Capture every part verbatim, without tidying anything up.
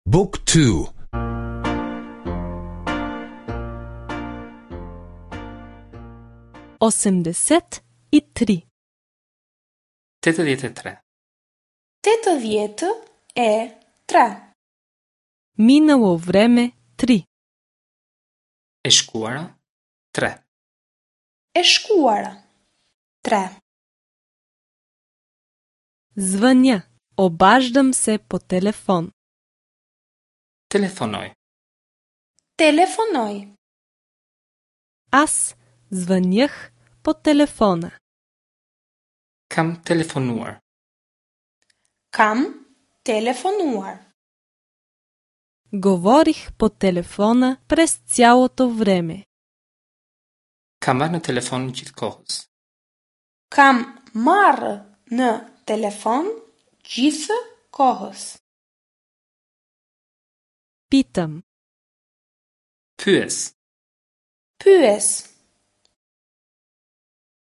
Book two. Осемдесет и три. Tetëdhjetë e tre. Tetëdhjetë e tre. Минало време три. E shkuara tre. E shkuara tre. Звъня. Обаждам се по телефон. Telefonoj. Telefonoj. Аз звънях по телефона. Kam telefonuar. Kam telefonuar. Говорих по телефона през цялото време. Kam marrë në telefon gjithë kohës. Kam marrë në telefon gjithë kohës. Питам. Pyes. Pyes.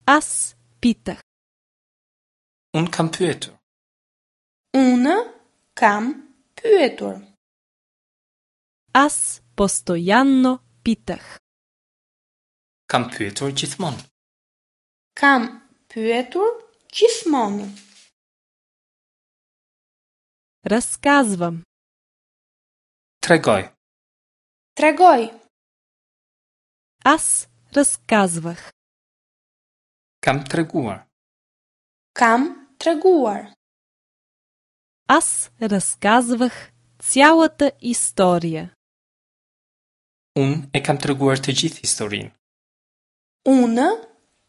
Аз питах. Unë kam pyetur. Unë kam pyetur. Аз постоянно питах. Kam pyetur gjithmonë. Kam pyetur gjithmonë. Разказвам. Tregoj. Tregoj. Аз разказвах. Kam treguar. Kam treguar. Аз разказвах цялата история. Unë e kam treguar të gjithë historinë. Unë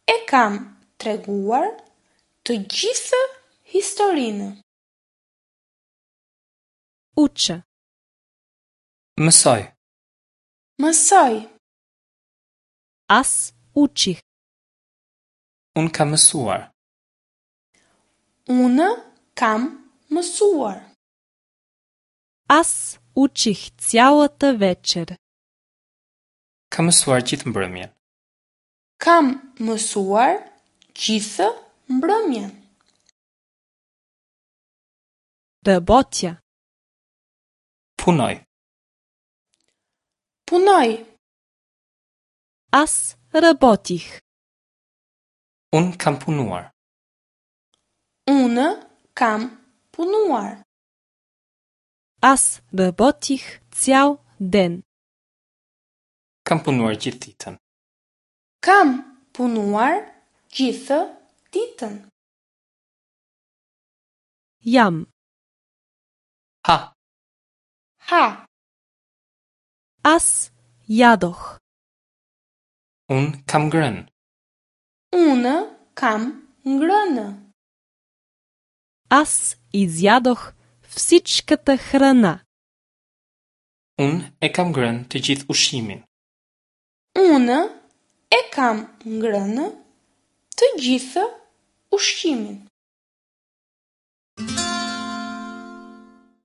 e kam treguar të gjithë historinë. Уча. Mësoj. Mësoj. Аз учих. Unë kam mësuar. Unë kam mësuar. Аз учих цялата вечер. Kam mësuar gjithë mbrëmjen. Kam mësuar gjithë mbrëmjen. Работя. Punoj. Punoj. Аз работих. Unë kam punuar. Unë kam punuar. Аз работих цял ден. Kam punuar gjithë ditën. Kam punuar gjithë ditën. Ям. Ha. Ha. Аз ядох. Unë kam ngrënë. Unë kam ngrënë. Аз изядох всичката храна. Unë e kam ngrënë të gjithë ushqimin. Unë e kam ngrënë të gjithë ushqimin.